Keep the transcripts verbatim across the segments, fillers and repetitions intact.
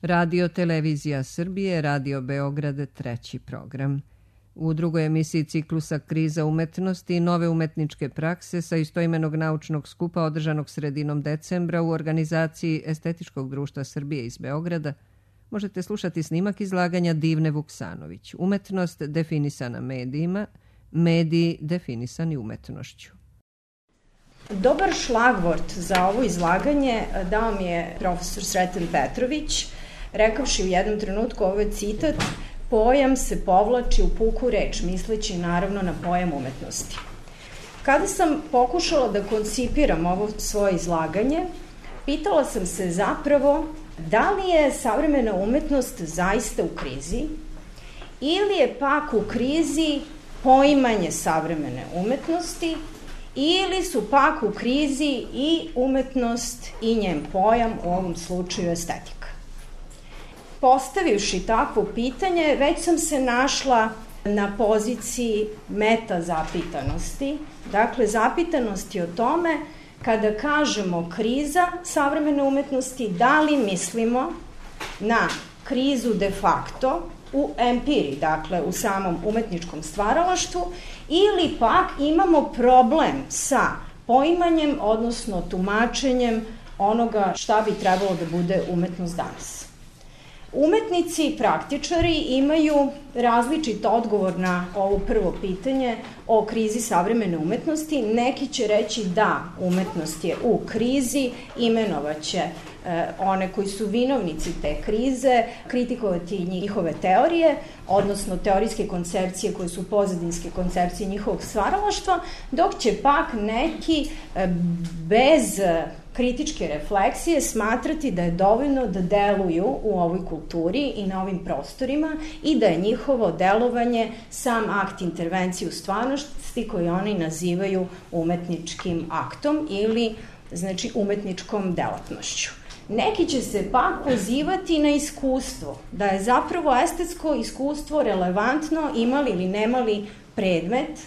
Radio Televizija Srbije, Radio Beograd, treći program. U drugoj emisiji ciklusa Kriza umetnosti i nove umetničke prakse sa istoimenog naučnog skupa održanog sredinom decembra u organizaciji Estetičkog društva Srbije iz Beograda možete slušati snimak izlaganja Divne Vuksanović, Umetnost definisana medijima, mediji definisani umetnošću. Dobar šlagvort za ovo izlaganje dao mi je profesor Sreten Petrović, rekavši u jednom trenutku, ovo je citat: pojam se povlači u puku reč, misleći naravno na pojam umetnosti. Kada sam pokušala da koncipiram ovo svoje izlaganje, pitala sam se zapravo da li je savremena umetnost zaista u krizi ili je pak u krizi poimanje savremene umetnosti ili su pak u krizi i umetnost i njen pojam, u ovom slučaju estetika. Postavivši takvo pitanje, već sam se našla na poziciji meta zapitanosti, dakle zapitanosti o tome kada kažemo kriza savremene umetnosti, da li mislimo na krizu de facto u empiriji, dakle u samom umetničkom stvaralaštvu, ili pak imamo problem sa poimanjem, odnosno tumačenjem onoga šta bi trebalo da bude umetnost danas. Umetnici i praktičari imaju različit odgovor na ovo prvo pitanje o krizi savremene umetnosti. Neki će reći da umetnost je u krizi, imenovaće e, one koji su vinovnici te krize, kritikovati njihove teorije, odnosno teorijske koncepcije koje su pozadinske koncepcije njihovog stvaralaštva, dok će pak neki e, bez kritičke refleksije smatrati da je dovoljno da deluju u ovoj kulturi i na ovim prostorima i da je njihovo delovanje sam akt intervencije u stvarnosti koji oni nazivaju umetničkim aktom ili znači umetničkom delatnošću. Neki će se pak pozivati na iskustvo, da je zapravo estetsko iskustvo relevantno imali ili nemali predmet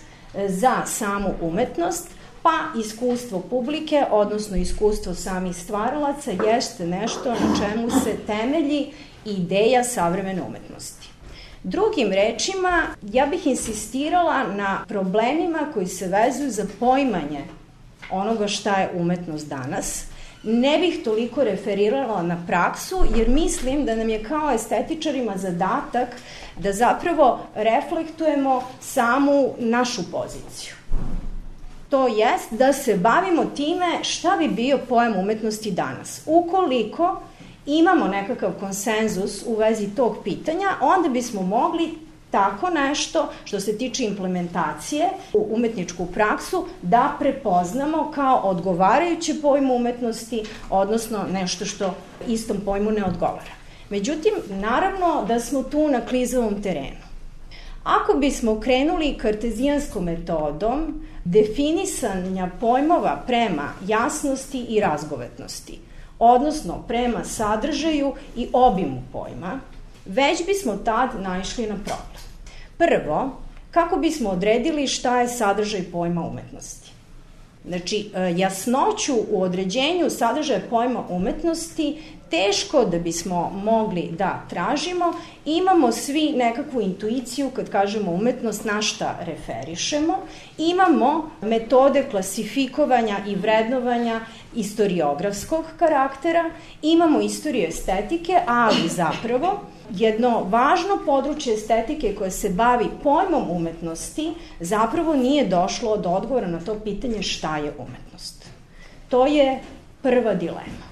za samu umetnost, pa iskustvo publike, odnosno iskustvo samih stvaralaca, jeste nešto na čemu se temelji ideja savremene umetnosti. Drugim rečima, ja bih insistirala na problemima koji se vezuju za poimanje onoga šta je umetnost danas. Ne bih toliko referirala na praksu, jer mislim da nam je kao estetičarima zadatak da zapravo reflektujemo samu našu poziciju. To jest da se bavimo time šta bi bio pojam umetnosti danas. Ukoliko imamo nekakav konsenzus u vezi tog pitanja, onda bismo mogli tako nešto što se tiče implementacije u umetničku praksu da prepoznamo kao odgovarajuće pojmu umetnosti, odnosno nešto što istom pojmu ne odgovara. Međutim, naravno da smo tu na klizavom terenu. Ako bismo krenuli kartezijanskom metodom definisanja pojmova prema jasnosti i razgovetnosti, odnosno prema sadržaju i obimu pojma, već bismo tad naišli na problem. Prvo, kako bismo odredili šta je sadržaj pojma umetnosti? Znači, jasnoću u određenju sadržaja pojma umetnosti teško da bismo mogli da tražimo. Imamo svi nekakvu intuiciju kad kažemo umetnost, na šta referišemo. Imamo metode klasifikovanja i vrednovanja istoriografskog karaktera, imamo istoriju estetike, ali zapravo jedno važno područje estetike koje se bavi pojmom umetnosti zapravo nije došlo do odgovora na to pitanje šta je umetnost. To je prva dilema.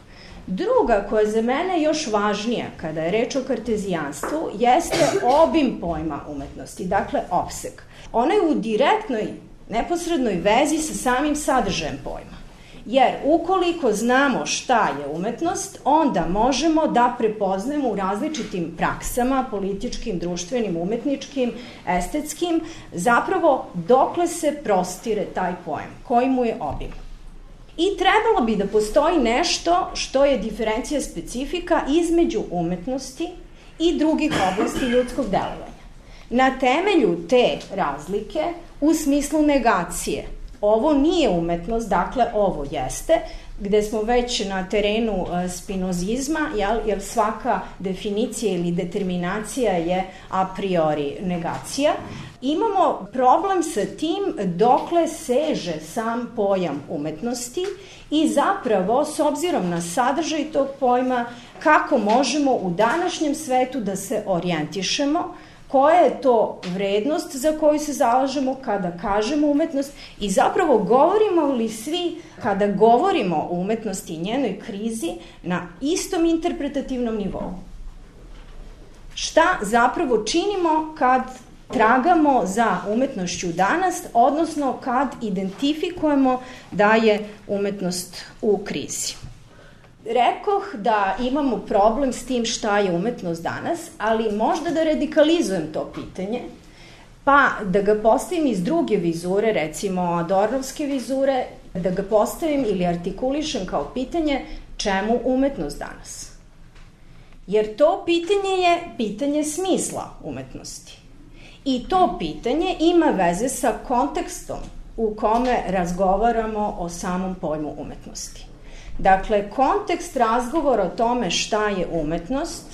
Druga, koja je za mene još važnija kada je reč o kartezijanstvu, jeste obim pojma umetnosti, dakle opseg. Ona je u direktnoj, neposrednoj vezi sa samim sadržajem pojma. Jer ukoliko znamo šta je umetnost, onda možemo da prepoznamo u različitim praksama, političkim, društvenim, umetničkim, estetskim, zapravo dokle se prostire taj pojam, koji mu je obim. I trebalo bi da postoji nešto što je diferencija specifika između umetnosti i drugih oblasti ljudskog delovanja. Na temelju te razlike, u smislu negacije, ovo nije umetnost, dakle ovo jeste, gde smo već na terenu spinozizma, jel, jer svaka definicija ili determinacija je a priori negacija. Imamo problem sa tim dokle seže sam pojam umetnosti i zapravo, s obzirom na sadržaj tog pojma, kako možemo u današnjem svetu da se orijentišemo, koja je to vrednost za koju se zalažemo kada kažemo umetnost i zapravo govorimo li svi, kada govorimo o umetnosti i njenoj krizi, na istom interpretativnom nivou. Šta zapravo činimo kad tragamo za umetnošću danas, odnosno kad identifikujemo da je umetnost u krizi. Rekoh da imamo problem s tim šta je umetnost danas, ali možda da radikalizujem to pitanje, pa da ga postavim iz druge vizure, recimo Adornovske vizure, da ga postavim ili artikulišem kao pitanje čemu umetnost danas. Jer to pitanje je pitanje smisla umetnosti. I to pitanje ima veze sa kontekstom u kome razgovaramo o samom pojmu umetnosti. Dakle, kontekst razgovora o tome šta je umetnost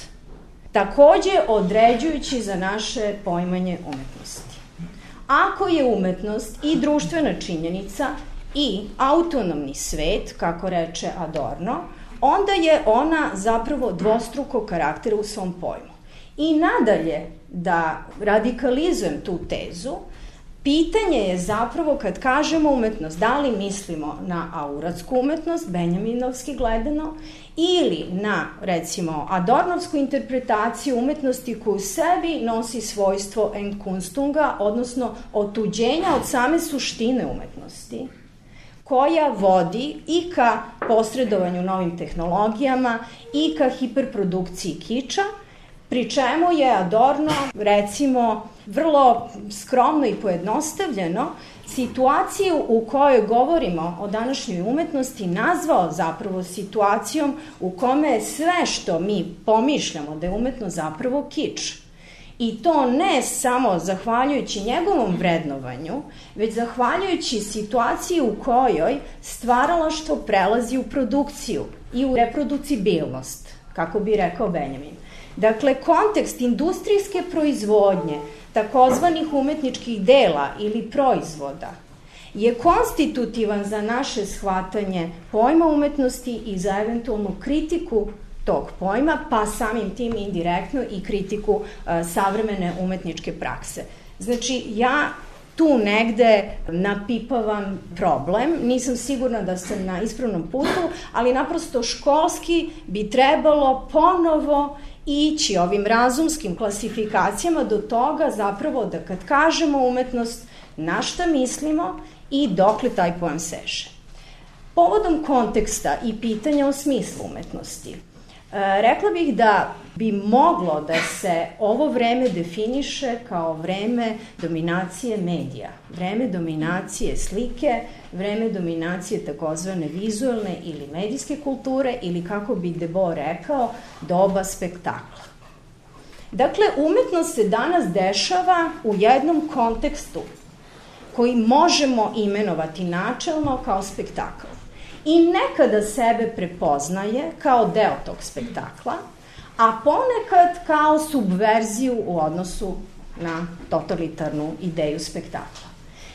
takođe određujući za naše poimanje umetnosti. Ako je umetnost i društvena činjenica i autonomni svet, kako reče Adorno, onda je ona zapravo dvostrukog karaktera u svom pojmu. I nadalje, da radikalizujem tu tezu, pitanje je zapravo kad kažemo umetnost, da li mislimo na auratsku umetnost, benjaminovski gledano, ili na, recimo, adornovsku interpretaciju umetnosti koju u sebi nosi svojstvo Enkunstunga, odnosno otuđenja od same suštine umetnosti, koja vodi i ka posredovanju novim tehnologijama i ka hiperprodukciji kiča, pri čemu je Adorno, recimo, vrlo skromno i pojednostavljeno situaciju u kojoj govorimo o današnjoj umetnosti nazvao zapravo situacijom u kome je sve što mi pomišljamo da je umetnost zapravo kič. I to ne samo zahvaljujući njegovom vrednovanju, već zahvaljujući situaciji u kojoj stvaralaštvo prelazi u produkciju i u reproducibilnost, kako bi rekao Benjamin. Dakle, kontekst industrijske proizvodnje takozvanih umetničkih dela ili proizvoda je konstitutivan za naše shvatanje pojma umetnosti i za eventualnu kritiku tog pojma, pa samim tim indirektno i kritiku uh, savremene umetničke prakse. Znači, ja tu negde napipavam problem, nisam sigurna da sam na ispravnom putu, ali naprosto školski bi trebalo ponovo ići ovim razumskim klasifikacijama do toga zapravo da kad kažemo umetnost, na šta mislimo i dokle taj pojam seže. Povodom konteksta i pitanja o smislu umetnosti, rekla bih da bi moglo da se ovo vreme definiše kao vreme dominacije medija, vreme dominacije slike, vreme dominacije takozvane vizualne ili medijske kulture ili, kako bi Debo rekao, doba spektakla. Dakle, umetnost se danas dešava u jednom kontekstu koji možemo imenovati načelno kao spektakl. I nekada sebe prepoznaje kao deo tog spektakla, a ponekad kao subverziju u odnosu na totalitarnu ideju spektakla.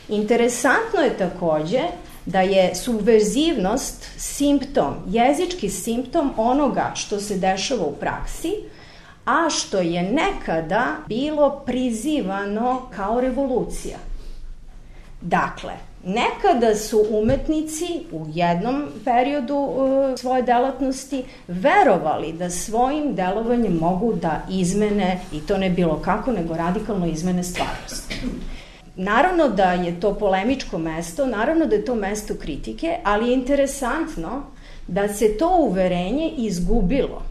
Interesantno je takođe da je subverzivnost simptom, jezički simptom onoga što se dešava u praksi, a što je nekada bilo prizivano kao revolucija. Dakle, nekada su umetnici u jednom periodu uh, svoje delatnosti verovali da svojim delovanjem mogu da izmene, i to ne bilo kako, nego radikalno izmene stvarnost. Naravno da je to polemičko mesto, naravno da je to mesto kritike, ali je interesantno da se to uverenje izgubilo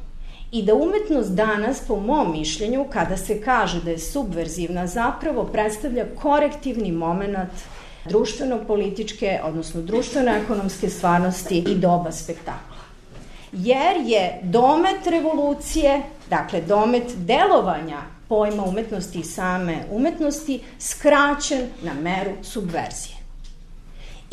i da umetnost danas, po mom mišljenju, kada se kaže da je subverzivna, zapravo predstavlja korektivni moment društveno-političke, odnosno društveno-ekonomske stvarnosti i doba spektakla. Jer je domet revolucije, dakle domet delovanja pojma umetnosti i same umetnosti, skraćen na meru subverzije.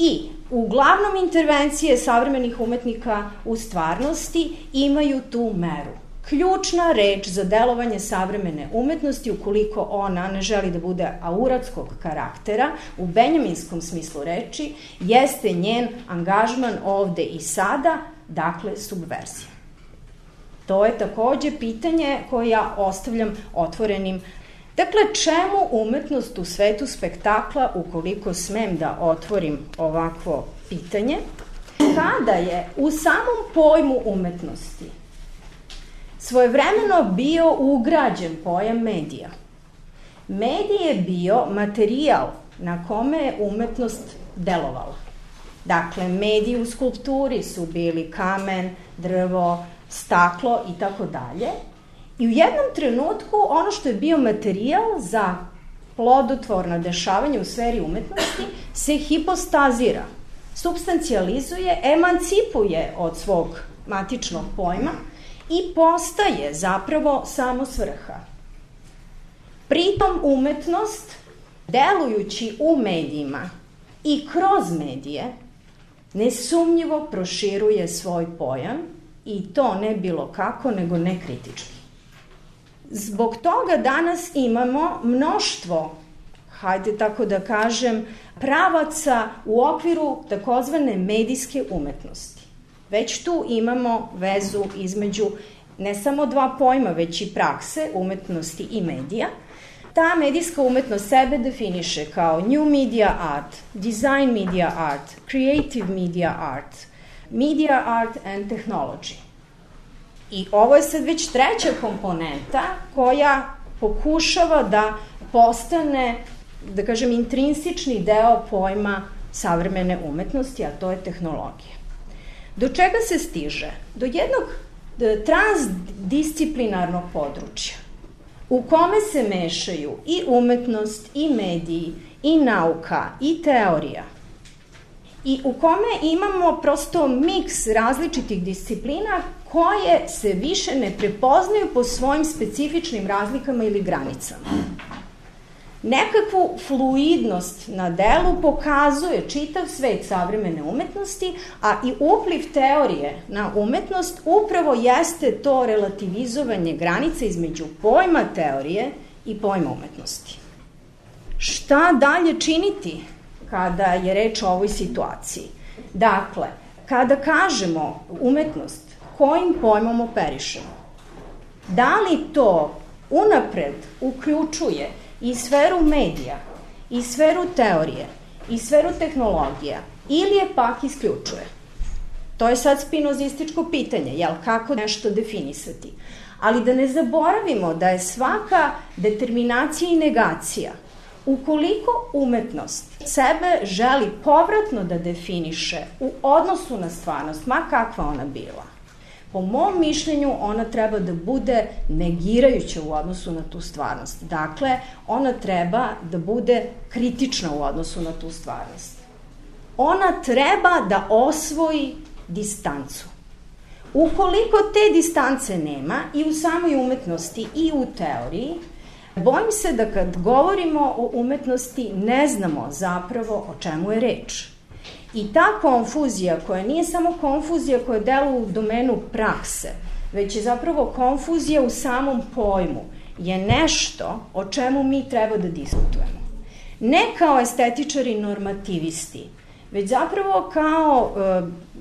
I uglavnom intervencije savremenih umetnika u stvarnosti imaju tu meru. Ključna reč za delovanje savremene umetnosti, ukoliko ona ne želi da bude auratskog karaktera, u benjaminskom smislu reči, jeste njen angažman ovde i sada, dakle subverzija. To je takođe pitanje koje ja ostavljam otvorenim. Dakle, čemu umetnost u svetu spektakla, ukoliko smem da otvorim ovakvo pitanje, kada je u samom pojmu umetnosti svojevremeno bio ugrađen pojam medija. Medij je bio materijal na kome je umetnost delovala. Dakle, mediji u skulpturi su bili kamen, drvo, staklo i tako dalje. I u jednom trenutku ono što je bio materijal za plodotvorno dešavanje u sferi umetnosti se hipostazira, substancijalizuje, emancipuje od svog matičnog pojma i postaje zapravo samo svrha. Pritom umetnost, delujući u medijima i kroz medije, nesumnjivo proširuje svoj pojam i to ne bilo kako, nego nekritički. Zbog toga danas imamo mnoštvo, hajde tako da kažem, pravaca u okviru takozvane medijske umetnosti. Već tu imamo vezu između ne samo dva pojma, već i prakse, umetnosti i medija. Ta medijska umetnost sebe definiše kao new media art, design media art, creative media art, media art and technology. I ovo je sad već treća komponenta koja pokušava da postane, da kažem, intrinsični deo pojma savremene umetnosti, a to je tehnologija. Do čega se stiže? Do jednog transdisciplinarnog područja u kome se mešaju i umetnost, i mediji, i nauka, i teorija. I u kome imamo prosto miks različitih disciplina koje se više ne prepoznaju po svojim specifičnim razlikama ili granicama. Nekakvu fluidnost na delu pokazuje čitav svet savremene umetnosti, a i upliv teorije na umetnost upravo jeste to relativizovanje granice između pojma teorije i pojma umetnosti. Šta dalje činiti kada je reč o ovoj situaciji? Dakle, kada kažemo umetnost, kojim pojmom operišemo? Da li to unapred uključuje i sferu medija, i sferu teorije, i sferu tehnologija, ili je pak isključuje? To je sad spinozističko pitanje, jel, kako nešto definisati. Ali da ne zaboravimo da je svaka determinacija i negacija, ukoliko umetnost sebe želi povratno da definiše u odnosu na stvarnost, ma kakva ona bila, po mom mišljenju ona treba da bude negirajuća u odnosu na tu stvarnost. Dakle, ona treba da bude kritična u odnosu na tu stvarnost. Ona treba da osvoji distancu. Ukoliko te distance nema i u samoj umetnosti i u teoriji, bojim se da kad govorimo o umetnosti ne znamo zapravo o čemu je reč. I ta konfuzija, koja nije samo konfuzija koja deluje u domenu prakse, već je zapravo konfuzija u samom pojmu, je nešto o čemu mi treba da diskutujemo. Ne kao estetičari normativisti, već zapravo kao,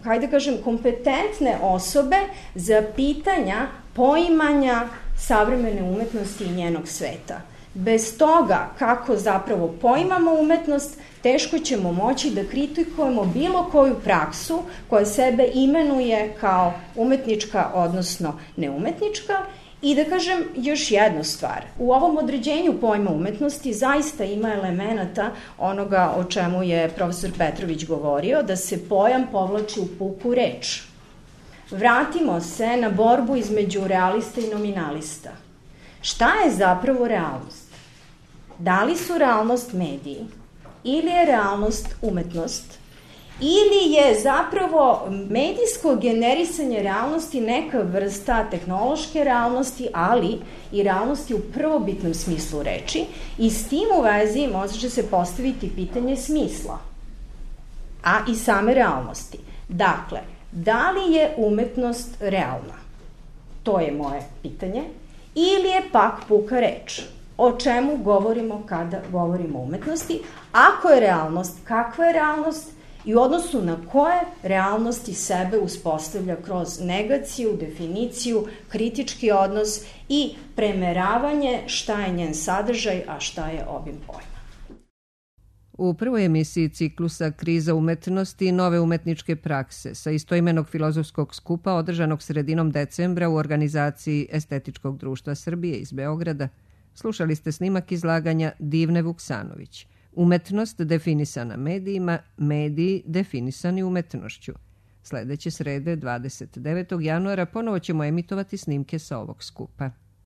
hajde kažem, kompetentne osobe za pitanja poimanja savremene umetnosti i njenog sveta. Bez toga kako zapravo poimamo umetnost, teško ćemo moći da kritikujemo bilo koju praksu koja sebe imenuje kao umetnička, odnosno neumetnička. I da kažem još jednu stvar. U ovom određenju pojma umetnosti zaista ima elemenata onoga o čemu je profesor Petrović govorio, da se pojam povlači u puku reč. Vratimo se na borbu između realista i nominalista. Šta je zapravo realnost? Da li su realnost mediji? Ili je realnost umetnost? Ili je zapravo medijsko generisanje realnosti neka vrsta tehnološke realnosti, ali i realnosti u prvobitnom smislu reči, i s tim u vezi može se postaviti pitanje smisla. a i same realnosti. Dakle, da li je umetnost realna? To je moje pitanje. Ili je pak puka reč? O čemu govorimo kada govorimo o umetnosti? Ako je realnost, kakva je realnost i u odnosu na koje realnosti sebe uspostavlja kroz negaciju, definiciju, kritički odnos i premeravanje šta je njen sadržaj, a šta je obim pojma. U prvoj emisiji ciklusa Kriza umetnosti i nove umetničke prakse sa istoimenog filozofskog skupa održanog sredinom decembra u organizaciji Estetičkog društva Srbije iz Beograda, slušali ste snimak izlaganja Divne Vuksanović. Umetnost definisana medijima, mediji definisani umetnošću. Sledeće srede, dvadeset devetog januara, ponovo ćemo emitovati snimke sa ovog skupa.